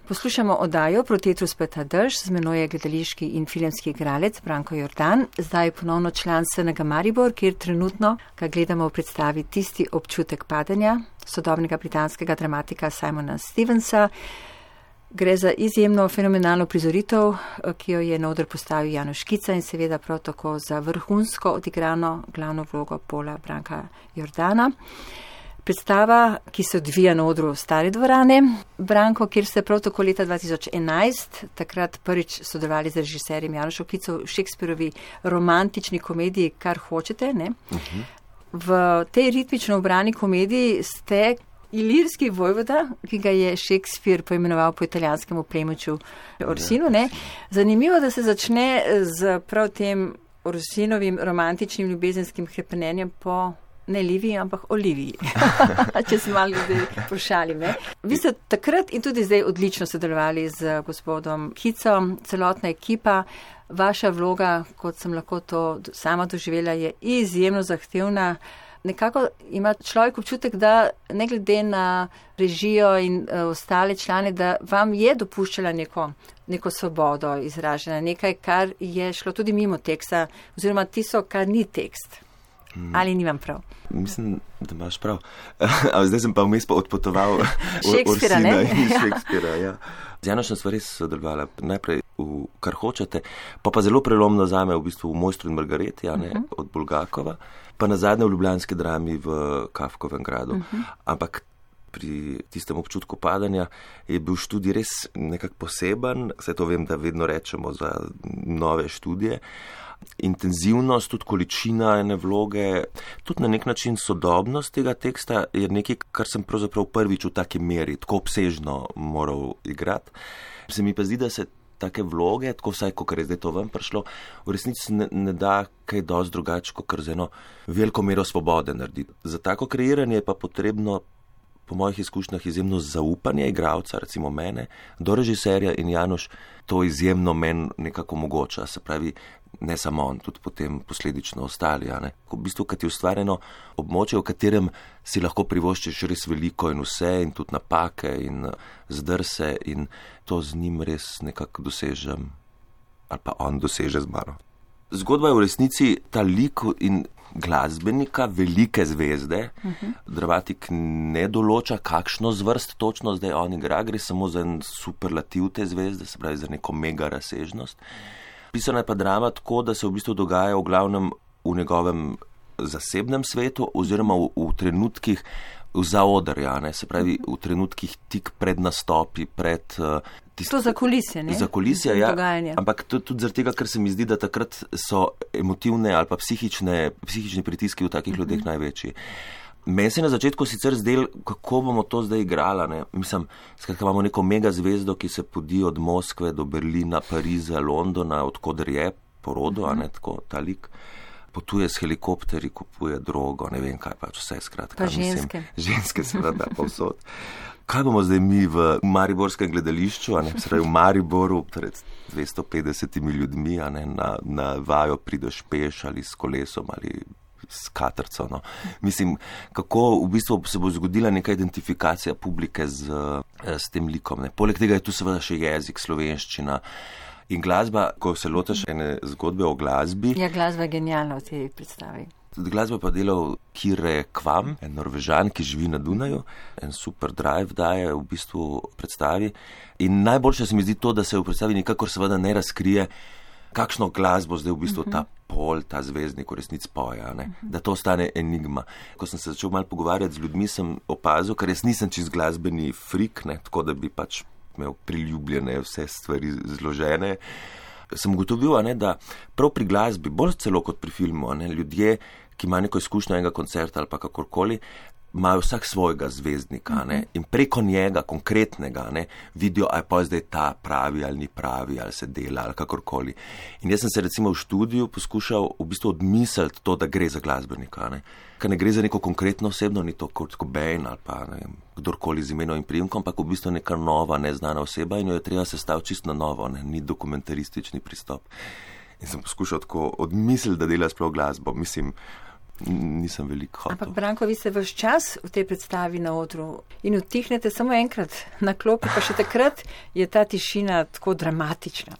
Poslušamo oddajo Protetru speta drž, z menoj je gledališki in filmski igralec Branko Jordan, zdaj ponovno član SNG Maribor, kjer trenutno ga gledamo v predstavi Tisti občutek padanja sodobnega britanskega dramatika Simona Stevensa. Gre za izjemno fenomenalno prizoritev, ki jo je na oder postavil Januš Škica in seveda prav tako za vrhunsko odigrano glavno vlogo Pola Branka Jordana. Predstava, ki se odvija na odru Stare dvorane, Branko, kjer ste prav tako leta 2011, takrat prvič sodelovali z režiserjem Janušem Škicom v Shakespearovi romantični komediji Kar hočete, ne? V tej ritmično obrani komediji ste ilirski vojvoda, ki ga je Shakespeare poimenoval po italijanskemu plemiču Orsinu, ne? Zanimivo, da se začne z prav tem Orsinovim romantičnim ljubezenskim hrepenenjem po ne Liviji, ampak Oliviji. Če se malo zdaj pošalim, ne? Vi ste takrat in tudi zdaj odlično sodelovali z gospodom Kicom, celotna ekipa. Vaša vloga, kot sem lahko to sama doživela, je izjemno zahtevna. Nekako ima človek občutek, da ne glede na režijo in ostale člane, da vam je dopuščala neko svobodo izražena, nekaj, kar je šlo tudi mimo teksta, oziroma tisto, kar ni tekst. Ali nimam prav? Mislim, da imaš prav. Zdaj sem pa vmes odpotoval Shakespearea, Orsina in Shakespearea. Ja. Z Janošem sva res sodelovala najprej v Kar hočete, pa zelo prelomno zame v bistvu v Mojstru in Margareti, od Bulgakova, pa nazadnje v ljubljanski drami v Kafkovem gradu. Ampak pri tistem občutku padanja je bil študij res nekako poseben, saj to vem, da vedno rečemo za nove študije. Intenzivnost, tudi količina ene vloge, tudi na nek način sodobnost tega teksta je nekaj, kar sem pravzaprav prvič v taki meri, tako obsežno moral igrati. Se mi pa zdi, da se take vloge, tako vsaj, kot je zdaj to ven prišlo, v resnici ne da kaj dosti drugače, kot z eno veliko mero svobode narediti. Za tako kreiranje je pa potrebno, po mojih izkušnjah, izjemno zaupanje igralca, recimo mene, do režiserja, in Januš to izjemno meni nekako omogoča, se pravi, ne samo on, tudi potem posledično ostali. V bistvu, kad je ustvarjeno območje, v katerem si lahko privoščiš res veliko in vse, in tudi napake in zdrse, in to z njim res nekako dosežem, ali pa on doseže z mano. Zgodba je v resnici ta lik in glasbenika, velike zvezde. Dramatik ne določa, kakšno zvrst točno zdaj on igra, gre samo za en superlativ te zvezde, se pravi za neko mega razsežnost. Pisana je pa drama tako, da se v bistvu dogaja v glavnem v njegovem zasebnem svetu oziroma v trenutkih zaodrja, se pravi v trenutkih tik pred nastopi, pred to za kulisje, ne? Za kulisje, ja. Dogajanje. Ampak tudi zaradi tega, ker se mi zdi, da takrat so emotivne ali pa psihični pritiski v takih ljudeh največji. Meni se je na začetku sicer zdel, kako bomo to zdaj igrala, ne? Mislim, skratka, imamo neko mega zvezdo, ki se podi od Moskve do Berlina, Pariza, Londona, odkoder je porodo, tako ta lik. Potuje s helikopteri, kupuje drogo, ne vem kaj pač, vse skratka. Pa ženske. Ženske seveda povsod. Kaj bomo zdaj mi v mariborskem gledališču, se pravi v Mariboru, pred 250 ljudmi, na vajo prideš peš ali s kolesom ali s katrco. No. Mislim, kako v bistvu se bo zgodila neka identifikacija publike s tem likom. Ne. Poleg tega je tu seveda še jezik, slovenščina in glasba, ko se lotaš ene zgodbe o glasbi. Ja, glasba je genialna v tej predstavi. Glasba pa delal Kire Kvam, en Norvežan, ki živi na Dunaju, en super drive daje v bistvu predstavi. In najboljše se mi zdi to, da se v predstavi nikakor seveda ne razkrije, kakšno glasbo zdaj v bistvu ta Pol, ta zvezdnik v resnici poja, da to ostane enigma. Ko sem se začel malo pogovarjati z ljudmi, sem opazil, ker jaz nisem čist glasbeni frik, tako da bi pač imel priljubljene vse stvari zložene. Sem ugotovil, da prav pri glasbi, bolj celo kot pri filmu, ljudje, ki imajo neko izkušnjo enega koncerta ali pa kakorkoli, imajo vsak svojega zvezdnika in preko njega, konkretnega, vidijo, a je pa zdaj ta pravi ali ni pravi, ali se dela ali kakorkoli. In jaz sem se recimo v študiju poskušal v bistvu odmisliti to, da gre za glasbenika, ker ne gre za neko konkretno osebno, ni to kot Cobain ali pa kdorkoli z imenom in priimkom, ampak v bistvu neka nova, neznana oseba in jo je treba sestaviti čisto na novo, ni dokumentaristični pristop. In sem poskušal tako odmisliti, da dela sploh glasbo. Mislim, nisem veliko hotel. Ampak Branko, vi ste vaš čas v tej predstavi na odru in utihnete samo enkrat na klopi, pa še takrat je ta tišina tako dramatična.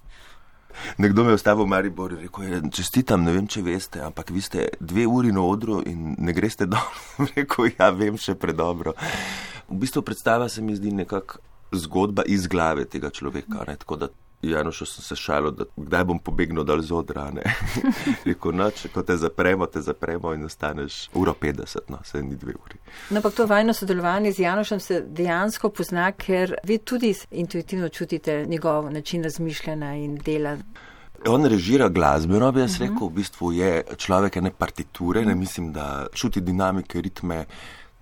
Nekdo me je ostavil v Mariboru in rekel, čestitam, ne vem, če veste, ampak vi ste 2 uri na odru in ne greste dol. Rekel, ja, vem še predobro. V bistvu predstava se mi zdi nekako zgodba iz glave tega človeka, ne? Tako da Janošu sem se šalil, da kdaj bom pobegnil dal z odra, ne? Rekel, noč, ko te zapremo in ostaneš 1:50, no, se ni 2 uri. No, ampak to vajno sodelovanje z Janošem se dejansko pozna, ker vi tudi intuitivno čutite njegov način razmišljanja in dela. On režira glasbeno, bi jaz rekel, v bistvu je človek ene partiture, ne mislim, da čuti dinamike, ritme.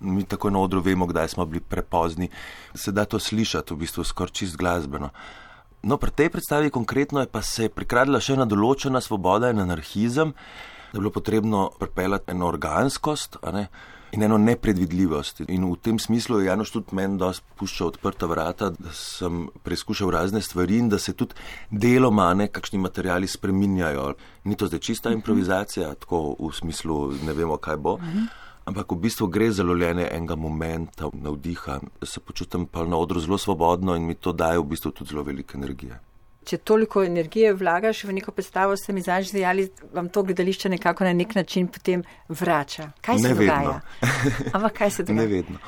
Mi tako na odru vemo, kdaj smo bili prepozni. Se da to slišati, v bistvu skoraj čist glasbeno. No, pri tej predstavi konkretno je pa se prikradla še ena določena svoboda in anarhizem, da je bilo potrebno pripeljati eno organskost, a ne, in eno nepredvidljivost. In v tem smislu je Janoš tudi meni dosti puščal odprta vrata, da sem preizkušal razne stvari in da se tudi deloma kakšni materiali spreminjajo. Ni to zdaj čista improvizacija, tako v smislu ne vemo, kaj bo. Ampak v bistvu gre za lovljenje enega momenta, navdiha. Se počutim pa na odru zelo svobodno in mi to daje v bistvu tudi zelo veliko energije. Če toliko energije vlagaš v neko predstavo, ste mi zadnjič dejali, vam to gledališče nekako na nek način potem vrača. Kaj se dogaja? Ampak kaj se dogaja? Ne vedno.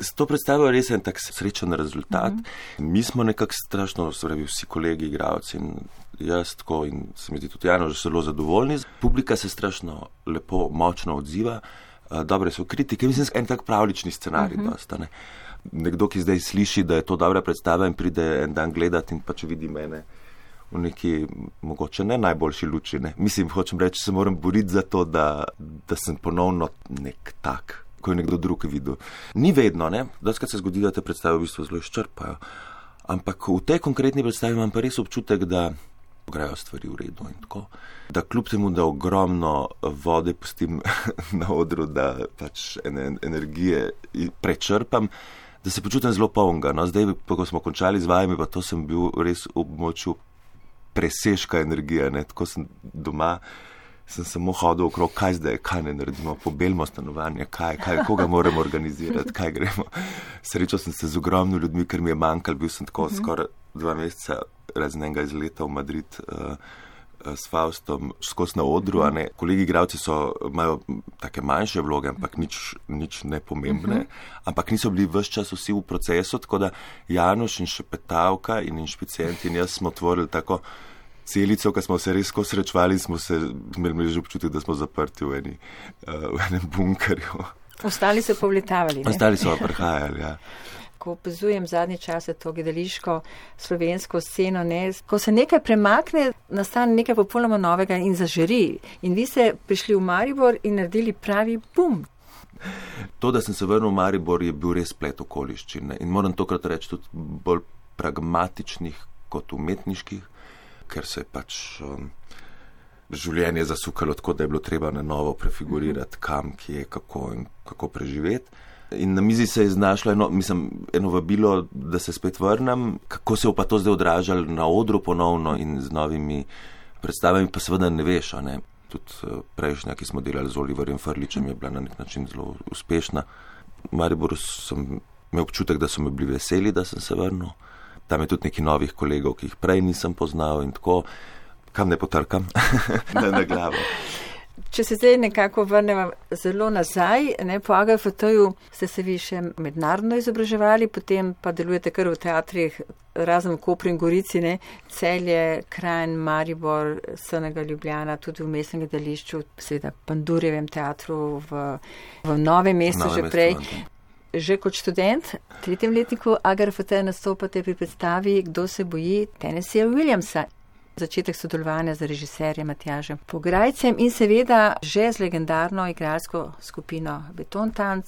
S to predstavo je res en tak srečen rezultat. Mi smo nekako strašno, vsi kolegi, igralci in jaz tako in se mi zdi tudi Janoš zelo zadovoljni. Publika se strašno lepo, močno odziva. Dobre so kritike, mislim, en tak pravlični scenarij dosta, ne. Nekdo, ki zdaj sliši, da je to dobra predstava in pride en dan gledati in pa če vidi mene v neki, mogoče ne najboljši luči, ne. Mislim, hočem reči, se moram boriti za to, da sem ponovno nek tak, ko je nekdo drug videl. Ni vedno, ne. Dostikrat se zgodi, da te predstave v bistvu zelo izčrpajo. Ampak v tej konkretni predstavi imam pa res občutek, da grejo stvari v redu in tako. Da kljub temu, da ogromno vode pustim na odru, da pač energije prečrpam, da se počutim zelo polnega. No, zdaj, ko smo končali z vajami, pa to sem bil res v območju presežka energije, ne. Tako sem doma, sem samo hodil okrog, kaj zdaj, kaj ne naredimo, pobelimo stanovanje, koga moramo organizirati, kaj gremo. Srečal sem se z ogromno ljudmi, ker mi je manjkalo, bil sem tako skoraj 2 meseca razen enega izleta v Madrid s Faustom skozi na odru, a ne. Kolegi igralci imajo take manjše vloge, ampak nič nepomembne, ampak niso bili ves čas vsi v procesu, tako da Janoš in Šepetavka in Inšpicient in jaz smo tvorili tako celico, ko smo se res srečevali in smo se imeli že občutek, da smo zaprti v enem bunkerju. Ostali so povletavali, ne? Ostali so prihajali, ja. Ko opazujem zadnje čase to gledališko slovensko sceno, ne, ko se nekaj premakne, nastane nekaj popolnoma novega in zažari. In vi ste prišli v Maribor in naredili pravi bum. To, da sem se vrnil v Maribor, je bil res splet okoliščin. In moram tokrat reči tudi bolj pragmatičnih kot umetniških, ker se je pač življenje zasukalo tako, da je bilo treba na novo prefigurirati, kam, kje, kako preživeti. In na mizi se je znašlo eno vabilo, da se spet vrnem, kako se bo pa to zdaj odražalo na odru ponovno in z novimi predstavami, pa seveda ne veš, a ne. Tudi prejšnja, ki smo delali z Oliverjem Frličem, je bila na nek način zelo uspešna. V Mariboru sem imel občutek, da so me bili veseli, da sem se vrnil. Tam je tudi nekaj novih kolegov, ki jih prej nisem poznal in tako, kam ne potrkam, na glavo. Če se zdaj nekako vrnemo zelo nazaj, ne, po AGFT-ju ste se vi še mednarodno izobraževali, potem pa delujete kar v teatrih, razen v Kopru in Gorici, ne, Celje, Kranj, Maribor, Srnega, Ljubljana, tudi v mestnem gledališču, seveda Pandurjevem teatru v Novem mestu že prej. Že kot študent, 3. letniku AGFT nastopate pri predstavi Kdo se boji Tennesseeja Williamsa. Začetek sodelovanja z režiserjem Matjažem Pograjcem in seveda že z legendarno igralsko skupino Betontanc.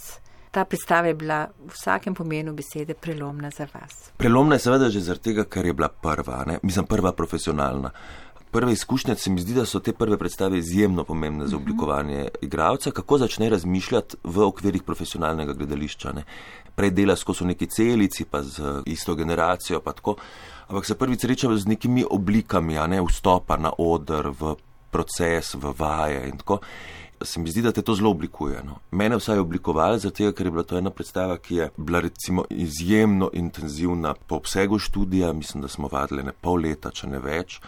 Ta predstava je bila v vsakem pomenu besede prelomna za vas. Prelomna je seveda že zaradi tega, ker je bila prva, ne? Mislim, prva profesionalna. Prve izkušnje se mi zdi, da so te prve predstave izjemno pomembne za oblikovanje igralca, kako začne razmišljati v okvirih profesionalnega gledališča, ne? Prej dela skozi neki celici, pa z isto generacijo, pa tako. Ampak se prvič sreča z nekimi oblikami, a ne, vstopa na oder, v proces, v vaje in tako. se mi zdi, da te to zelo oblikuje. No. Mene vsaj je oblikovala, zato ker je bila to ena predstava, ki je bila recimo izjemno intenzivna po obsegu študija, mislim, da smo vadili pol leta, če ne več,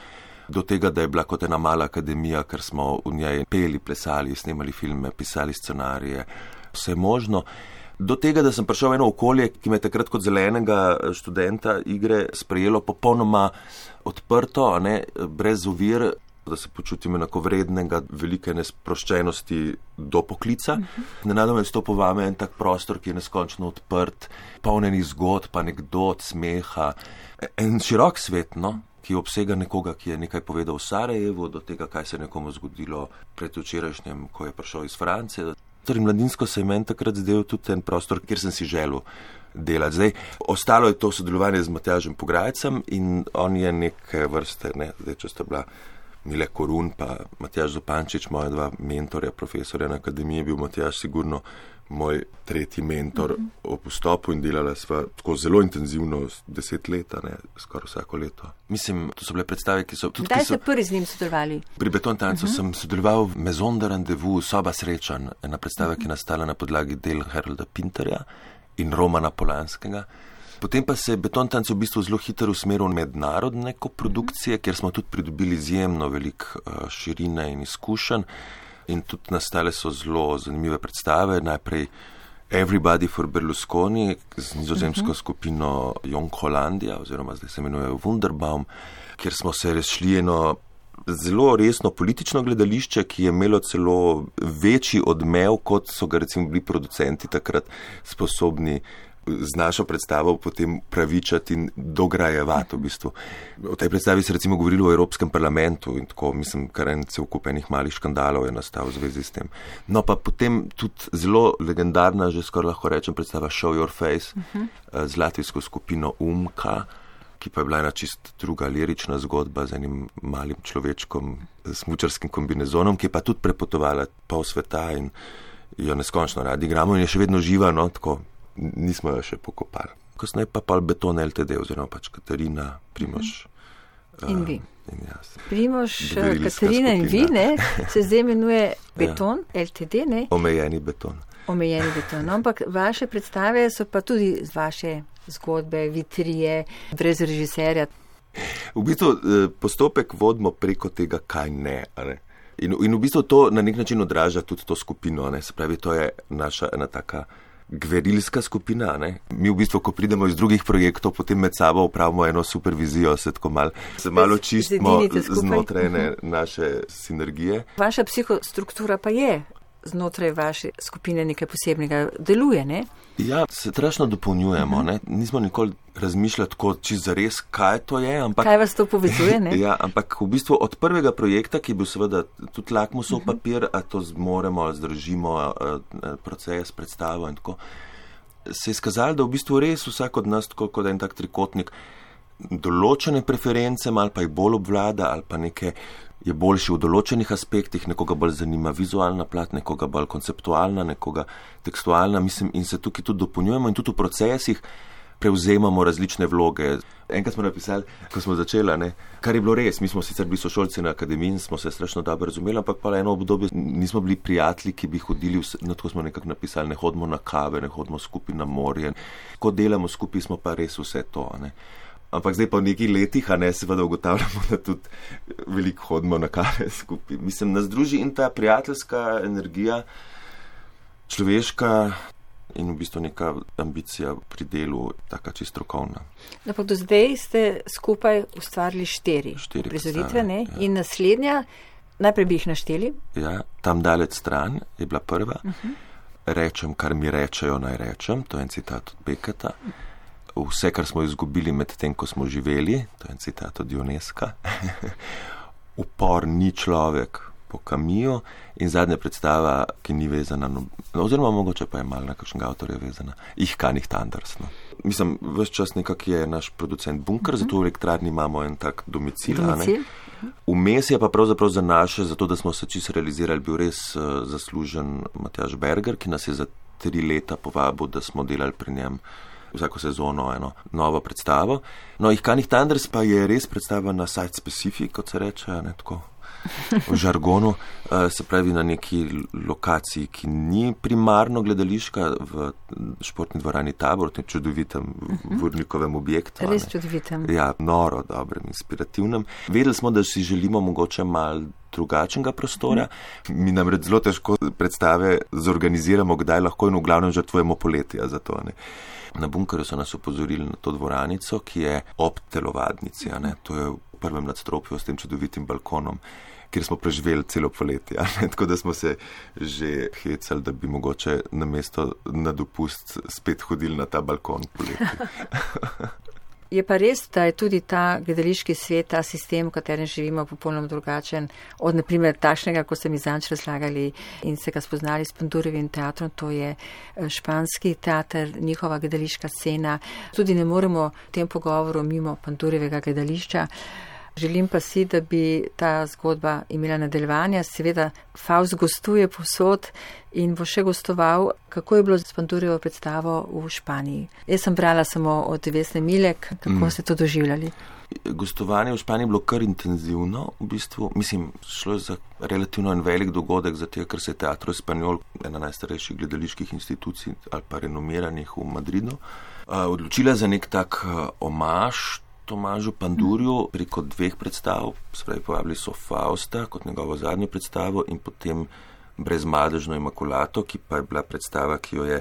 do tega, da je bila kot ena mala akademija, ker smo v njej peli, plesali, snemali filme, pisali scenarije, vse možno. Do tega, da sem prišel v eno okolje, ki me je takrat kot zelenega študenta igre sprejelo popolnoma odprto, brez ovir, da se počutim enako vrednega, velike nesproščenosti do poklica. Nenadoma je stopil vame en tak prostor, ki je neskončno odprt, polnenih zgodb, anekdot, smeha. En širok svet, ki obsega nekoga, ki je nekaj povedal v Sarajevu, do tega, kaj se je nekomu zgodilo predvčerajšnjem, ko je prišel iz Francije. Torej, mladinsko se je meni takrat zdel tudi en prostor, kjer sem si želel delati. Zdaj, ostalo je to sodelovanje z Matjažem Pograjcem in on je neke vrste, zdaj, če sta bila Mile Korun pa Matjaž Zupančič, moja dva mentorja, profesorja na akademiji, je bil Matjaž sigurno moj tretji mentor ob vstopu in delala sva tako zelo intenzivno 10 let, skoraj vsako leto. Mislim, to so bile predstave, ki so... Kdaj ste prvi z njim sodelovali? Pri Beton tancu sem sodeloval v Maison de Rendezvous, Soba srečanj, ena predstava, ki je nastala na podlagi del Harolda Pinterja in Romana Polanskega. Potem pa se je Beton tanc v bistvu zelo hitro usmeril v mednarodne koprodukcije, kjer smo tudi pridobili izjemno veliko širine in izkušenj. In tudi nastale so zelo zanimive predstave. Najprej Everybody for Berlusconi z nizozemsko skupino Jong Hollandija, oziroma zdaj se imenuje Wunderbaum, kjer smo se šli eno zelo resno politično gledališče, ki je imelo celo večji odmev, kot so ga recimo bili producenti takrat sposobni z našo predstavo potem pravičati in dograjevati v bistvu. O tej predstavi se recimo govorilo o Evropskem parlamentu in tako, mislim, kar en cel kup enih malih škandalov je nastal v zvezi s tem. No pa potem tudi zelo legendarna, že skoraj lahko rečem, predstava Show Your Face z latvijsko skupino Umka, ki pa je bila ena čist druga lirična zgodba z enim malim človečkom s smučarskim kombinezonom, ki je pa tudi prepotovala pol sveta in jo neskončno radi igramo in je še vedno živa, tako. Nismo jo še pokopali. Kasneje pa Beton LTD, oziroma pač Katarina, Primož in vi. In jaz. Primož, Katarina in vi, se zdaj imenuje Beton LTD, Omejeni beton. Omejeni beton. Ampak vaše predstave so pa tudi z vaše zgodbe, vitrije, brez režiserja. V bistvu postopek vodimo preko tega, kaj ne. In v bistvu to na nek način odraža tudi to skupino. Se pravi, to je naša ena taka gverilska skupina. Mi v bistvu, ko pridemo iz drugih projektov, potem med sabo upravimo eno supervizijo, se malo čistimo znotraj naše sinergije. Vaša psihostruktura pa je znotraj vaše skupine nekaj posebnega, deluje, ne? Ja, se strašno dopolnjujemo, Nismo nikoli razmišljali tako čisto zares, kaj to je, ampak... Kaj vas to povezuje, ne? Ja, ampak v bistvu od prvega projekta, ki je bil seveda tudi lakmusov papir, a to zmoremo, zdržimo proces, predstavo in tako, se je izkazalo, da v bistvu res vsak od nas tako kot en tak trikotnik določene preference, ali pa jih bolj obvlada, ali pa neke je boljši v določenih aspektih, nekoga bolj zanima vizualna plat, nekoga bolj konceptualna, nekoga tekstualna, mislim, in se tukaj tudi dopolnjujemo in tudi v procesih prevzemamo različne vloge. Enkrat smo napisali, ko smo začeli, kar je bilo res, mi smo sicer bili sošolci na akademiji in smo se strašno dobro razumeli, ampak pa eno obdobje nismo bili prijatelji, ki bi hodili, tako smo nekako napisali, ne hodimo na kave, ne hodimo skupaj na morje. Ko delamo skupaj, smo pa res vse to, Ampak zdaj pa v nekih letih, seveda ugotavljamo, da tudi veliko hodimo na kave skupaj. Mislim, nas druži in ta prijateljska energija, človeška in v bistvu neka ambicija pri delu, taka čisto strokovna. Pa do zdaj ste skupaj ustvarili 4 prizoritve, ja. In naslednja, najprej bi jih našteli. Ja, Tam daleč stran je bila prva. Rečem, kar mi rečejo, naj rečem, to je en citat od Beketa. Vse, kar smo izgubili med tem, ko smo živeli, to je en citat od Ionesca. Upor ni človek po Camusu in zadnja predstava, ki ni vezana, oziroma mogoče pa je malo na kakšnega avtorja vezana, Ich kann nicht anders. Mislim, ves čas nekak je naš producent bunker, zato v elektrarni imamo en tak domicil. Vmes je pa pravzaprav za naše, zato da smo se čisto realizirali, bil res zaslužen Matjaž Berger, ki nas je za 3 leta povabil, da smo delali pri njem vsako sezono eno novo predstavo. Ich kann nicht anders pa je res predstava na site specific, kot se reče, tako v žargonu, se pravi na neki lokaciji, ki ni primarno gledališka, v športni dvorani Tabor, v tem čudovitem Vurnikovem objektu. Res čudovitem. Ja, noro, dobrem, inspirativnem. Vedeli smo, da si želimo mogoče malo drugačnega prostora. Mi namreč zelo težko predstave zorganiziramo, kdaj lahko in v glavnem žrtvujemo poletja za to. Na Bunkerju so nas opozorili na to dvoranico, ki je ob telovadnici. To je v prvem nadstropju s tem čudovitim balkonom, kjer smo preživeli celo poletje. Tako da smo se že hecali, da bi mogoče namesto na dopust spet hodili na ta balkon poletje. Je pa res, da je tudi ta gledališki svet, ta sistem, v katerem živimo, popolnoma drugačen od, naprimer, takšnega, ko ste mi zanč razlagali in se ga spoznali s Pandurjevim teatrom, to je španski teater, njihova gledališka scena. Tudi ne moremo v tem pogovoru mimo Pandurjevega gledališča. Želim pa si, da bi ta zgodba imela nadaljevanja. Seveda, Faust gostuje povsod in bo še gostoval. Kako je bilo s Pandurjevo predstavo v Španiji? Jaz sem brala samo od Vesne Milek. Kako ste to doživljali? Gostovanje v Španiji je bilo kar intenzivno, v bistvu. Mislim, šlo je za relativno en velik dogodek, zato ker se je Teatro Espanol, ena najstarejših gledaliških institucij ali pa renomiranih v Madridu, odločila za nek tak omaž Tomažu Pandurju preko 2 predstav, spravi povabili so Fausta kot njegovo zadnjo predstavo in potem Brezmadežno Imakulato, ki pa je bila predstava, ki jo je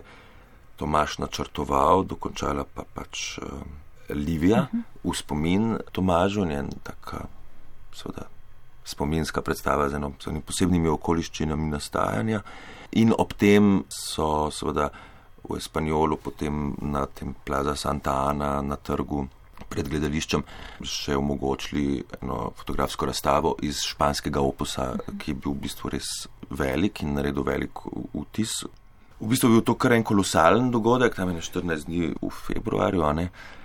Tomaž načrtoval, dokončala pa pač Livija v spomin Tomažu, njen taka seveda spominska predstava z enimi posebnimi okoliščinami nastajanja. In ob tem so seveda v Espanjolu potem na tem Plaza Santa Ana na trgu pred gledališčem še omogočili eno fotografsko razstavo iz španskega opusa, ki je bil v bistvu res velik in naredil velik vtis. V bistvu je bil to kar en kolosalen dogodek, tam je 14 dni v februarju.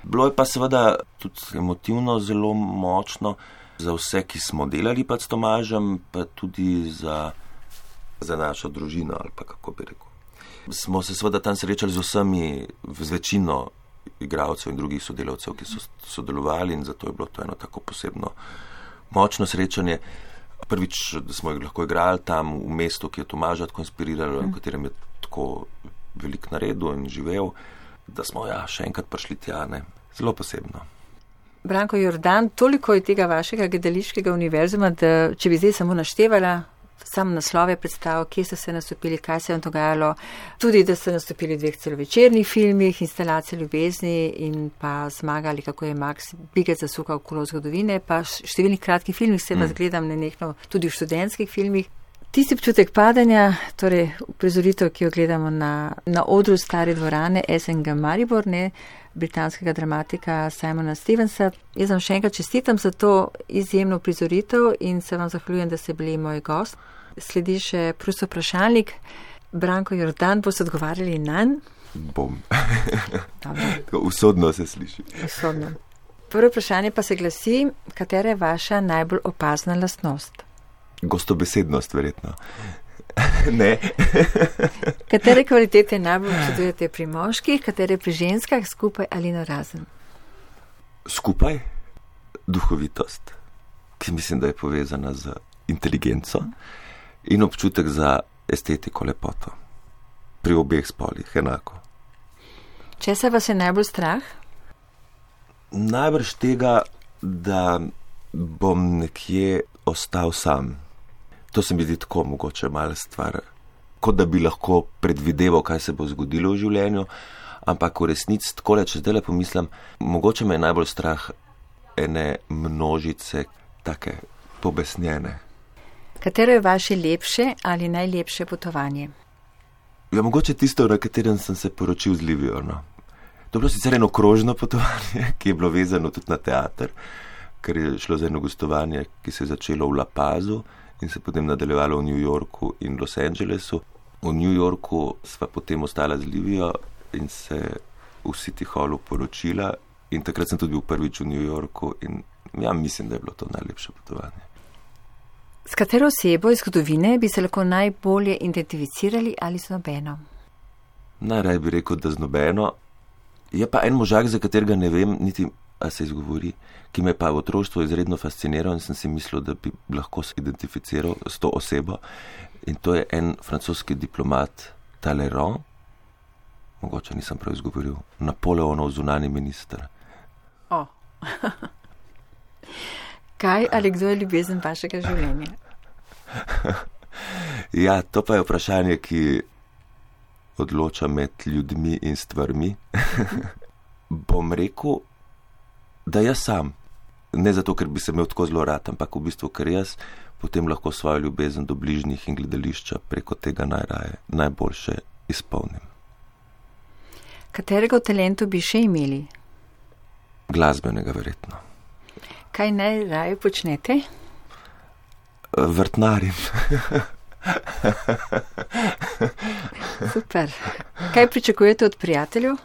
Bilo je pa seveda tudi emotivno zelo močno za vse, ki smo delali pa s Tomažem, pa tudi za našo družino, ali pa kako bi rekel. Smo se seveda tam srečali z vsemi, z večino igralcev in drugih sodelavcev, ki so sodelovali in zato je bilo to eno tako posebno močno srečanje. Prvič, da smo jih lahko igrali tam v mestu, ki je Tomaža tako inspiriralo, v katerem je tako velik naredil in živel, da smo še enkrat prišli tja, zelo posebno. Branko Jordan, toliko je tega vašega gledališkega univerzuma, da če bi zdaj samo naštevala sam naslove predstav, kje ste se nastopili, kaj se je vam dogajalo, tudi da ste nastopili v 2 celovečernih filmih, Instalacija ljubezni in pa Zmagali, kako je Max Bigec zasukal kolo zgodovine, pa številnih kratkih filmih se vas gledam nenehno tudi v študentskih filmih. Tisti občutek padanja, torej uprizoritev, ki jo gledamo na odru Stare dvorane SNG Maribor, britanskega dramatika Simona Stevensa. Jaz vam še enkrat čestitam za to izjemno uprizoritev in se vam zahvaljujem, da ste bili moj gost. Sledi še prost vprašalnik. Branko Jordan, boste odgovarjali nanj? Bom. Usodno se sliši. Usodno. Prvo vprašanje pa se glasi, katera je vaša najbolj opazna lastnost? Gostobesednost, verjetno. Ne. Katere kvalitete najbolj občudujete pri moških, katere pri ženskah, skupaj ali narazen? Skupaj duhovitost, ki mislim, da je povezana z inteligenco in občutek za estetiko, lepoto. Pri obeh spolih enako. Česa vas je najbolj strah? Najbrž tega, da bom nekje ostal sam. To se mi zdi tako mogoče mala stvar, kot da bi lahko predvideval, kaj se bo zgodilo v življenju, ampak v resnici takole, če zdaj le pomislim, mogoče me je najbolj strah ene množice take pobesnjene. Katero je vaše lepše ali najlepše potovanje? Ja, mogoče tisto, na katerem sem se poročil z Livijo. To je bilo sicer eno krožno potovanje, ki je bilo vezano tudi na teater, ker je šlo za eno gostovanje, ki se je začelo v La Pazu in se potem nadaljevalo v New Yorku in Los Angelesu. V New Yorku sva potem ostala z Livijo in se v City Hallu poročila in takrat sem tudi bil prvič v New Yorku in ja, mislim, da je bilo to najlepše potovanje. S katero osebo iz zgodovine bi se lahko najbolje identificirali ali z nobeno? Najraje bi rekel, da z nobeno. Je pa en možak, za katerega ne vem niti a se izgovori, ki me pa v otroštvu izredno fasciniral in sem si mislil, da bi lahko se identificiral s to osebo. In to je en francoski diplomat Talleyrand, mogoče nisem prav izgovoril, Napoleonov zunani minister. O. Kaj ali kdo je ljubezen vašega življenja? Ja, to pa je vprašanje, ki odloča med ljudmi in stvarmi. Bom rekel, da jaz sam. Ne zato, ker bi se imel tako zelo rad, ampak v bistvu, ker jaz potem lahko svojo ljubezen do bližnjih in gledališča preko tega najboljše izpolnim. Katerega v talentu bi še imeli? Glasbenega verjetno. Kaj najraje počnete? Vrtnarim. Super. Kaj pričakujete od prijateljev?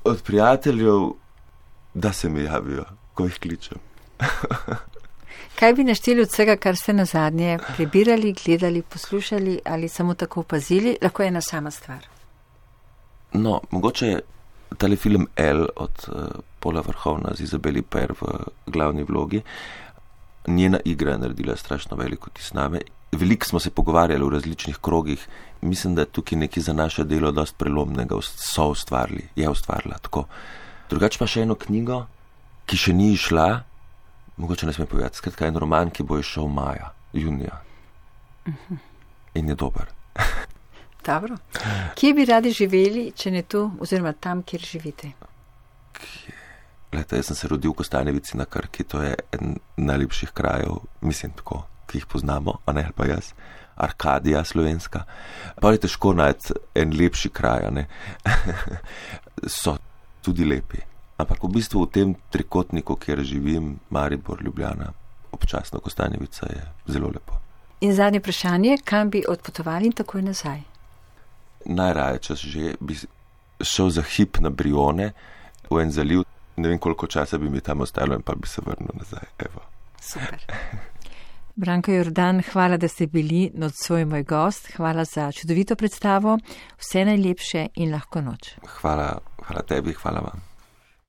Od prijateljev, da se mi javijo, ko jih kličem. Kaj bi našteli od vsega, kar ste nazadnje prebirali, gledali, poslušali ali samo tako opazili? Lahko je ena sama stvar. No, mogoče je tale film El od Paula Verhoevna z Izabeli Per v glavni vlogi. Njena igra je naredila strašno veliko vtis name. Veliko smo se pogovarjali v različnih krogih. Mislim, da je tukaj nekaj za naše delo dosti prelomnega je ustvarila tako. Drugače pa še eno knjigo, ki še ni išla, mogoče ne smem povedati, skratka en roman, ki bo išel junija. In je dober. Dobro. Kje bi radi živeli, če ne tu, oziroma tam, kjer živite? Glejte, jaz sem se rodil v Kostanjevici na Krki, to je en najlepših krajev, mislim tako, ki jih poznamo, a ne pa jaz. Arkadija slovenska. Pa je težko najti en lepši kraj, ne? So tudi lepi. Ampak v bistvu v tem trikotniku, kjer živim, Maribor, Ljubljana, občasno Kostanjevica, je zelo lepo. In zadnje vprašanje, kam bi odpotovali in takoj nazaj? Najraje, če že bi šel za hip na Brione, v en zaliv, ne vem koliko časa bi mi tam ostalo in pa bi se vrnil nazaj. Evo. Super. Branko Jordan, hvala, da ste bili nocoj moj gost, hvala za čudovito predstavo, vse najlepše in lahko noč. Hvala tebi, hvala vam.